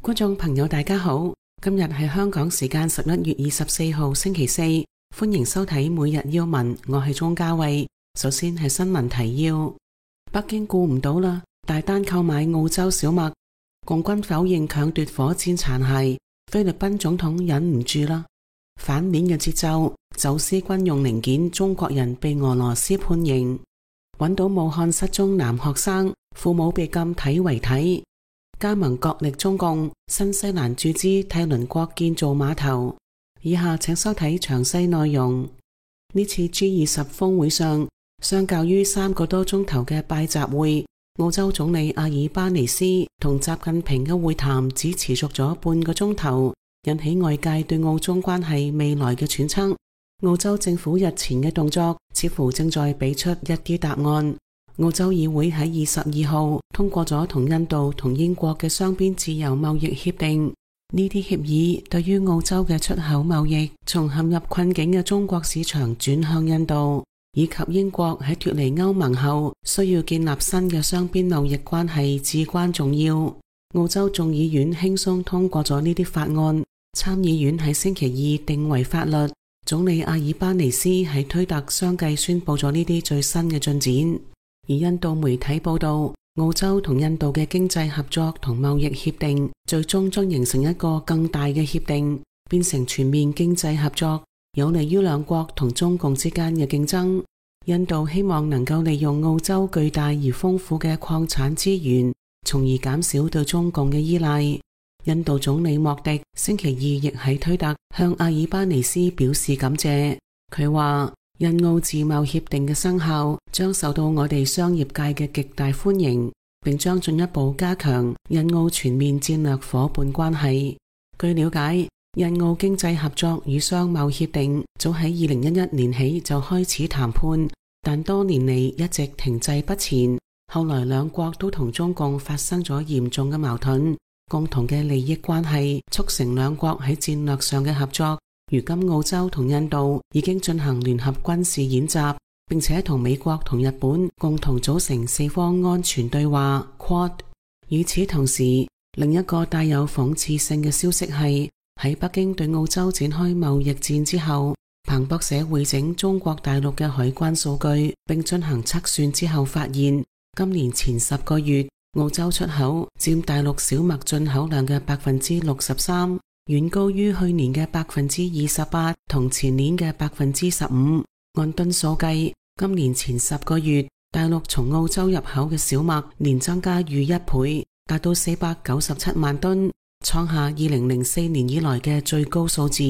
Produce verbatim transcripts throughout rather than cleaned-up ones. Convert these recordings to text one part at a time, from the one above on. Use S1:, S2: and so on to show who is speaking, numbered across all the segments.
S1: 觀眾朋友大家好，今日係香港時間十一月二十四號星期四，歡迎收睇每日要聞，我係鍾嘉慧。首先係新聞提要：北京顧唔到啦，大單購買澳洲小麥，共軍否認搶奪火箭殘骸，菲律賓總統忍唔住啦。反面嘅節奏，走私軍用零件，中國人被俄羅斯判刑。揾到武漢失蹤男學生，父母被禁睇遺體。加盟角力中共，新西蘭注資替鄰國建造碼頭。以下請收睇詳細內容。呢次 G 二十峰會上，相較於三個多鐘頭嘅拜習會，澳洲總理阿爾巴尼斯同習近平嘅會談只持續咗半個鐘頭，引起外界對澳中關係未來嘅揣測。澳洲政府日前嘅動作似乎正在俾出一啲答案。澳洲議會喺二十二號通過咗同印度同英國嘅雙邊自由貿易協定。呢啲協議對於澳洲嘅出口貿易從陷入困境嘅中國市場轉向印度，以及英國喺脫離歐盟後需要建立新嘅雙邊貿易關係至關重要。澳洲眾議院輕鬆通過咗呢啲法案，參議院喺星期二定為法律。總理阿爾巴尼斯喺推特相繼宣布咗呢啲最新嘅進展。而印度媒體報道，澳洲同印度嘅經濟合作同貿易協定最終將形成一個更大嘅協定，變成全面經濟合作，有利於兩國同中共之間嘅競爭。印度希望能夠利用澳洲巨大而豐富嘅礦產資源，從而減少對中共嘅依賴。印度總理莫迪星期二亦喺推特向阿爾巴尼斯表示感謝，佢話印澳自貿協定嘅生效將受到我哋商業界嘅極大歡迎，並將進一步加強印澳全面戰略夥伴關係。據了解，印澳經濟合作與商貿協定早喺二零一一年起就開始談判，但多年嚟一直停滯不前。後來兩國都同中共發生咗嚴重嘅矛盾，共同嘅利益關係促成兩國喺戰略上嘅合作。如今澳洲同印度已經進行聯合軍事演習，並且同美國同日本共同組成四方安全對話 Quad。 與此同時，另一個帶有諷刺性嘅消息係，喺北京對澳洲展開貿易戰之後，彭博社匯整中國大陸嘅海關數據並進行測算之後發現，今年前十個月澳洲出口佔大陸小麥進口量嘅百分之六十三，遠高於去年嘅百分之二十八同前年嘅百分之十五。按噸數計，今年前十個月大陸從澳洲入口嘅小麥年增加逾一倍，達到四百九十七萬噸，創下二零零四年以來嘅最高數字。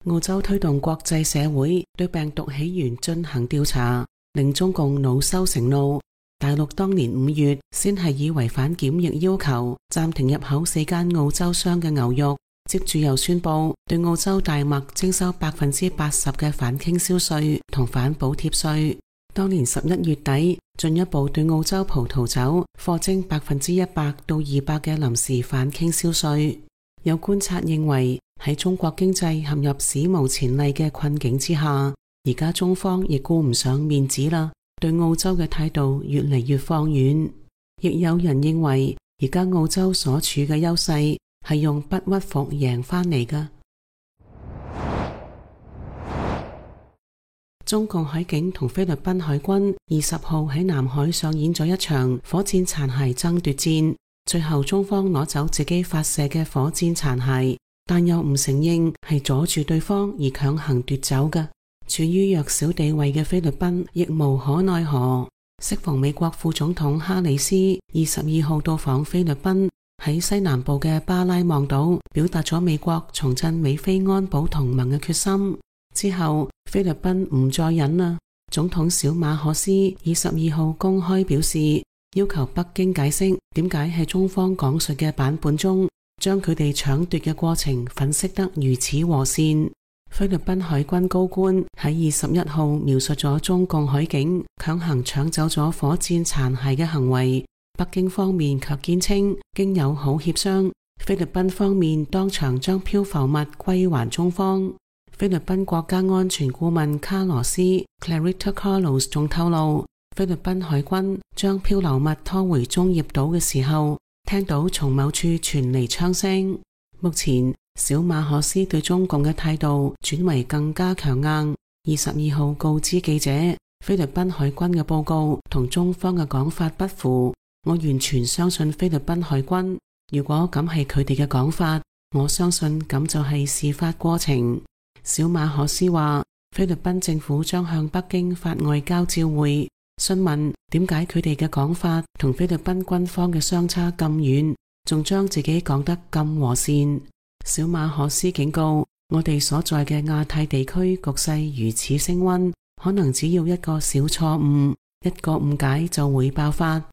S1: 澳洲推動國際社會對病毒起源進行調查，令中共惱羞成怒。大陸當年五月先係以違反檢疫要求暫停入口四間澳洲商嘅牛肉，接住又宣布對澳洲大麥徵收百分之八十嘅反傾銷稅同反補貼稅。當年十一月底，進一步對澳洲葡萄酒課徵百分之一百到二百嘅臨時反傾銷稅。有觀察認為，喺中國經濟陷入史無前例嘅困境之下，而家中方亦顧唔上面子啦，對澳洲嘅態度越嚟越放軟。亦有人認為，而家澳洲所處嘅優勢係用不屈服贏翻嚟㗎。中共海警同菲律賓海軍二十號喺南海上演咗一場火箭殘骸爭奪戰，最後中方攞走自己發射嘅火箭殘骸，但又唔承認係阻住對方而強行奪走㗎。處於弱小地位嘅菲律賓亦無可奈何。適逢美國副總統哈里斯二十二號到訪菲律賓，喺西南部嘅巴拉望島表達咗美國重振美菲安保同盟嘅決心。之後菲律賓唔再忍啦，總統小馬可斯二十二號公開表示，要求北京解釋點解喺中方講述嘅版本中，將佢哋搶奪嘅過程粉飾得如此和善。菲律賓海軍高官喺二十一號描述咗中共海警強行搶走咗火箭殘骸嘅行為，北京方面卻堅稱經友好協商，菲律賓方面當場將漂浮物歸還中方。菲律賓國家安全顧問卡羅斯 Clarita Carlos 仲透露，菲律賓海軍將漂流物拖回中業島嘅時候，聽到從某處傳嚟槍聲。目前小馬可斯對中共嘅態度轉為更加強硬。二十二號告知記者，菲律賓海軍嘅報告同中方嘅講法不符，我完全相信菲律賓海軍。如果咁係佢哋嘅講法，我相信咁就係事發過程。小馬可斯話，菲律賓政府將向北京發外交照會，詢問點解佢哋嘅講法同菲律賓軍方嘅相差咁遠，仲將自己講得咁和善。小馬可斯警告，我哋所在嘅亞太地區局勢如此升溫，可能只要一個小錯誤，一個誤解就會爆發。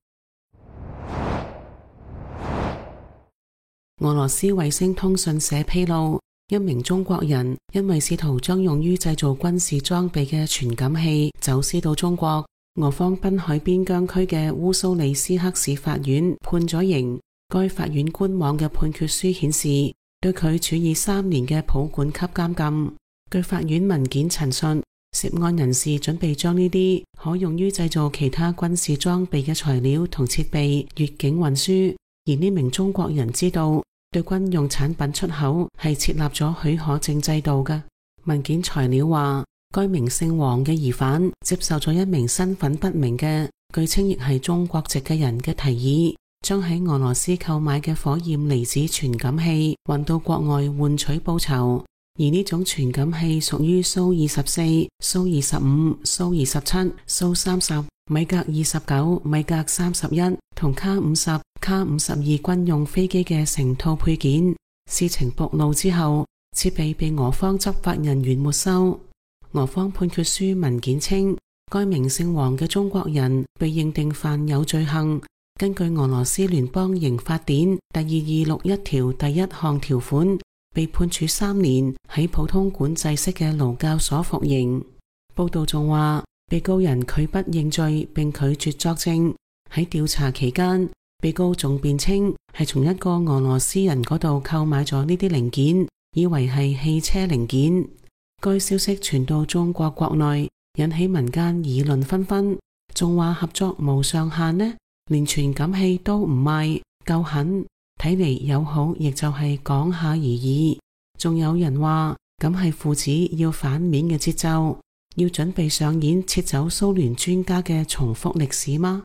S1: 俄羅斯衛星通訊社披露，一名中國人因為試圖將用於製造軍事裝備嘅傳感器走私到中國，俄方濱海邊疆區嘅烏蘇里斯克市法院判咗刑。該法院官網嘅判決書顯示，對佢處以三年嘅保管級監禁。據法院文件陳述，涉案人士準備將呢啲可用於製造其他軍事裝備嘅材料同設備越境運輸，而呢名中國人知道對軍用產品出口係設立咗許可證制度嘅。文件材料話，該名姓黃嘅疑犯接受咗一名身份不明嘅，據稱亦係中國籍嘅人嘅提議，將喺俄羅斯購買嘅火焰離子傳感器運到國外換取報酬。而呢種傳感器屬於蘇二十四、蘇二十五、蘇二十七、蘇三十、米格二十九、米格三十一同卡五十、卡五十二軍用飛機嘅成套配件。事情暴露之後，設備被俄方執法人員沒收。俄方判決書文件稱，該名姓黃嘅中國人被認定犯有罪行。根據俄羅斯聯邦刑法典第二二六一條第一項條款，被判處三年喺普通管制式嘅勞教所服刑。報道仲話，被告人拒不認罪並拒絕作證。喺調查期間，被告仲辯稱係從一個俄羅斯人嗰度購買咗呢啲零件，以為係汽車零件。該消息傳到中國國內，引起民間議論紛紛，仲話合作無上限呢，連傳感器都唔賣，夠狠。睇嚟友好亦就係講下而已。仲有人話，咁係父子要反面嘅節奏，要準備上演撤走蘇聯專家嘅重複歷史嗎？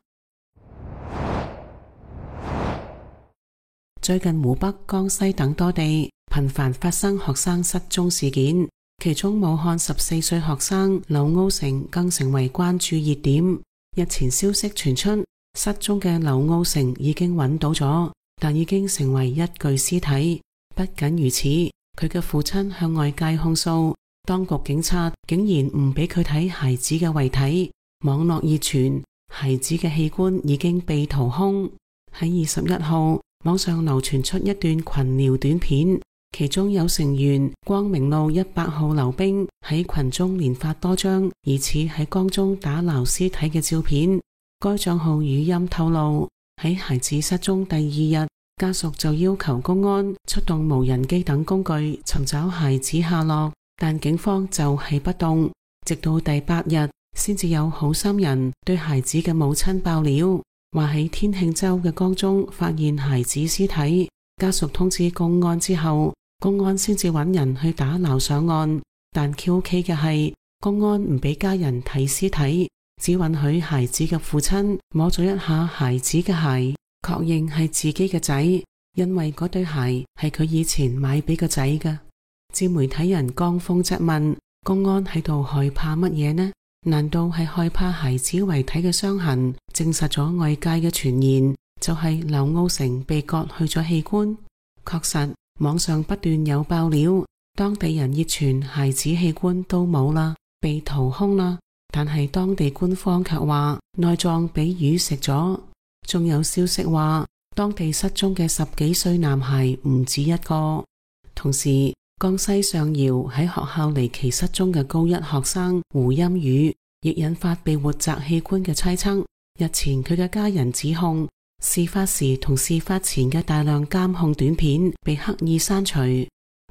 S1: 最近湖北、江西等多地頻繁發生學生失蹤事件，其中武漢十四歲學生劉奧成更成為關注熱點。日前消息傳出，失蹤嘅劉奧成已經揾到咗，但已經成為一具屍體。不僅如此，佢嘅父親向外界控訴，當局警察竟然唔俾佢睇孩子嘅遺體。網絡熱傳，孩子嘅器官已經被掏空。喺二十一號，網上流傳出一段群聊短片，其中有成員光明路一百號溜冰喺群中連發多張疑似喺江中打撈屍體嘅照片。該賬號語音透露，喺孩子失蹤第二日，家屬就要求公安出動無人機等工具尋找孩子下落，但警方就係不動，直到第八日先至有好心人對孩子嘅母親爆料，話喺天慶州嘅江中發現孩子屍體。家屬通知公安之後，公安先至揾人去打撈上岸，但 Q K 嘅係公安唔俾家人睇屍體，只允許孩子嘅父親摸咗一下孩子嘅鞋，確認係自己嘅仔，因為嗰對鞋係佢以前買俾個仔嘅。自媒體人江峰質問，公安喺度害怕乜嘢呢？難道係害怕孩子遺體嘅傷痕證實咗外界嘅傳言，就係劉奧成被割去咗器官？確實，網上不斷有爆料，當地人熱傳孩子器官都冇啦，被掏空啦，但係當地官方卻話內臟俾魚食咗。仲有消息話，當地失蹤嘅十幾歲男孩唔止一個。同時，江西上饒喺學校離奇失蹤嘅高一學生胡鑫宇，亦引發被活摘器官嘅猜測。日前佢嘅家人指控，事發時同事發前嘅大量監控短片被刻意刪除。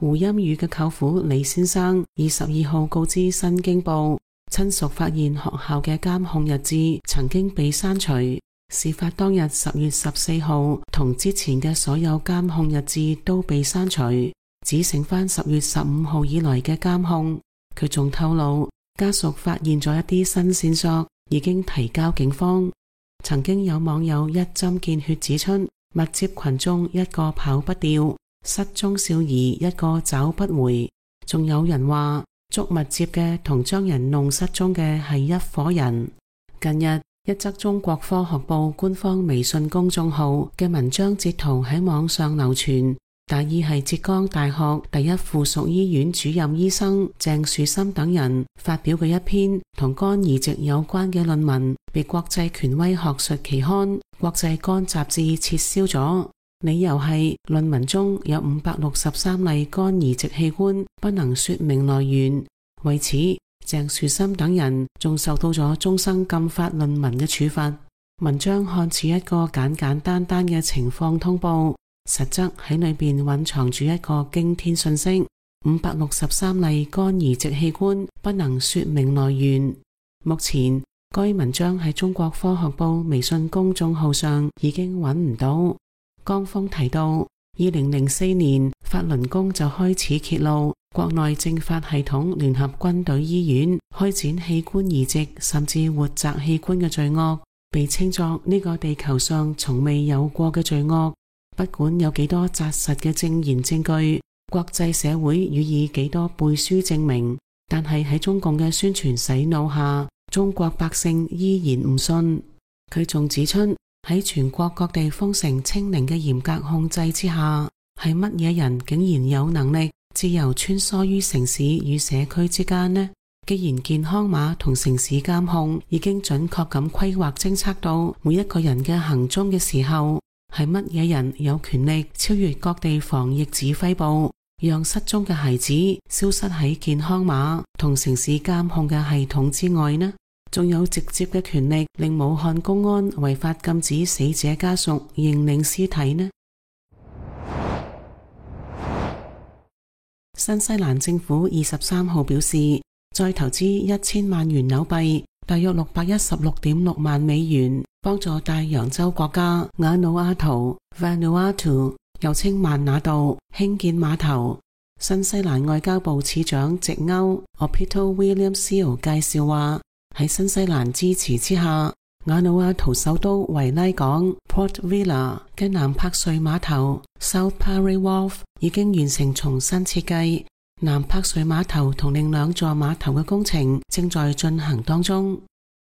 S1: 胡鑫宇嘅舅父李先生二十二號告知新京報，親屬發現學校嘅監控日誌曾經被刪除。事發當日十月十四號同之前嘅所有監控日誌都被刪除，只剩返十月十五號以來嘅監控。佢仲透露，家屬發現咗一啲新線索，已經提交警方。曾經有網友一針見血指出，密接群眾一個跑不掉，失蹤少兒一個找不回。仲有人話捉密接嘅同將人弄失蹤嘅係一夥人。近日一則中國科學部官方微信公眾號嘅文章截圖喺網上流傳，大意係浙江大學第一附屬醫院主任醫生鄭樹森等人發表嘅一篇同肝移植有關嘅論文，被國際權威學術期刊《國際肝雜誌》撤銷咗，理由係論文中有五百六十三例肝移植器官不能說明來源，為此鄭樹森等人仲受到咗終生禁發論文嘅處罰。文章看似一個簡簡單單嘅情況通報，實則喺裏邊蘊藏住一個驚天訊息：五百六十三例肝移植器官不能說明來源。目前該文章喺中國科學部微信公眾號上已經揾唔到。江峰提到，二零零四年法輪功就開始揭露國內政法系統聯合軍隊醫院開展器官移植甚至活摘器官嘅罪惡，被稱作呢個地球上從未有過嘅罪惡。不管有幾多紮實嘅證言證據，國際社會予以幾多背書證明，但係喺中共嘅宣傳洗腦下，中國百姓依然唔信。佢仲指出，喺全國各地封城清零嘅嚴格控制之下，係乜嘢人竟然有能力自由穿梭於城市與社區之間呢？既然健康碼同城市監控已經準確咁規劃偵測到每一個人嘅行蹤嘅時候，係乜嘢人有權力超越各地防疫指揮部，讓失蹤嘅孩子消失喺健康碼同城市監控嘅系統之外呢？仲有直接嘅權力令武漢公安違法禁止死者家屬認領屍體呢？新西蘭政府二十三號表示，再投資一千萬元紐幣，大約六百一十六點六萬美元，幫助大洋洲國家瓦努阿圖 Vanuatu 又稱曼那島興建碼頭。新西蘭外交部次長直歐 Opito William Seal 介紹話，喺新西蘭支持之下，瓦努阿圖首都維拉港 Port Vila 嘅南柏瑞碼頭 South Parry Wharf 已經完成重新設計。南柏瑞碼頭同另兩座碼頭嘅工程正在進行當中。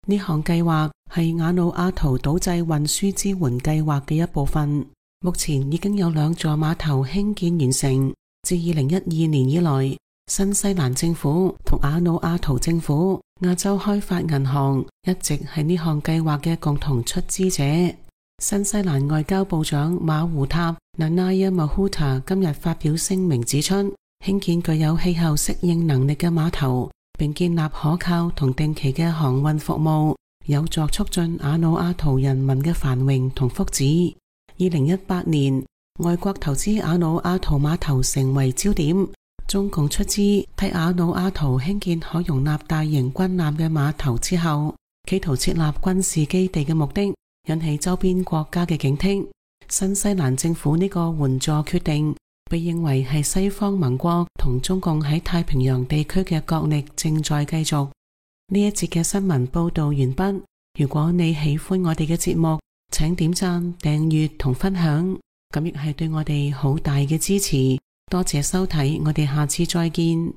S1: 呢項計劃係瓦努阿圖島際運輸支援計劃嘅一部分。目前已經有兩座碼頭興建完成。自二零一二年以來，新西蘭政府同瓦努阿圖政府、亞洲開發銀行一直係呢項計劃嘅共同出資者。新西蘭外交部長馬胡塔 Nanaia Mahuta 今日發表聲明指出，興建具有氣候適應能力嘅碼頭，並建立可靠同定期嘅航運服務，有助促進瓦努阿圖人民嘅繁榮同福祉。二零一八年，外國投資瓦努阿圖碼頭成為焦點，中共出資替瓦努阿圖興建可容納大型軍艦嘅碼頭之後，企圖設立軍事基地嘅目的引起周邊國家嘅警惕。新西蘭政府呢個援助決定被認為係西方盟國同中共喺太平洋地區嘅角力正在繼續。呢一節嘅新聞報道完畢。如果你喜歡我哋嘅節目，請點讚、訂閱同分享，咁亦係對我哋好大嘅支持。多謝收睇，我哋下次再見。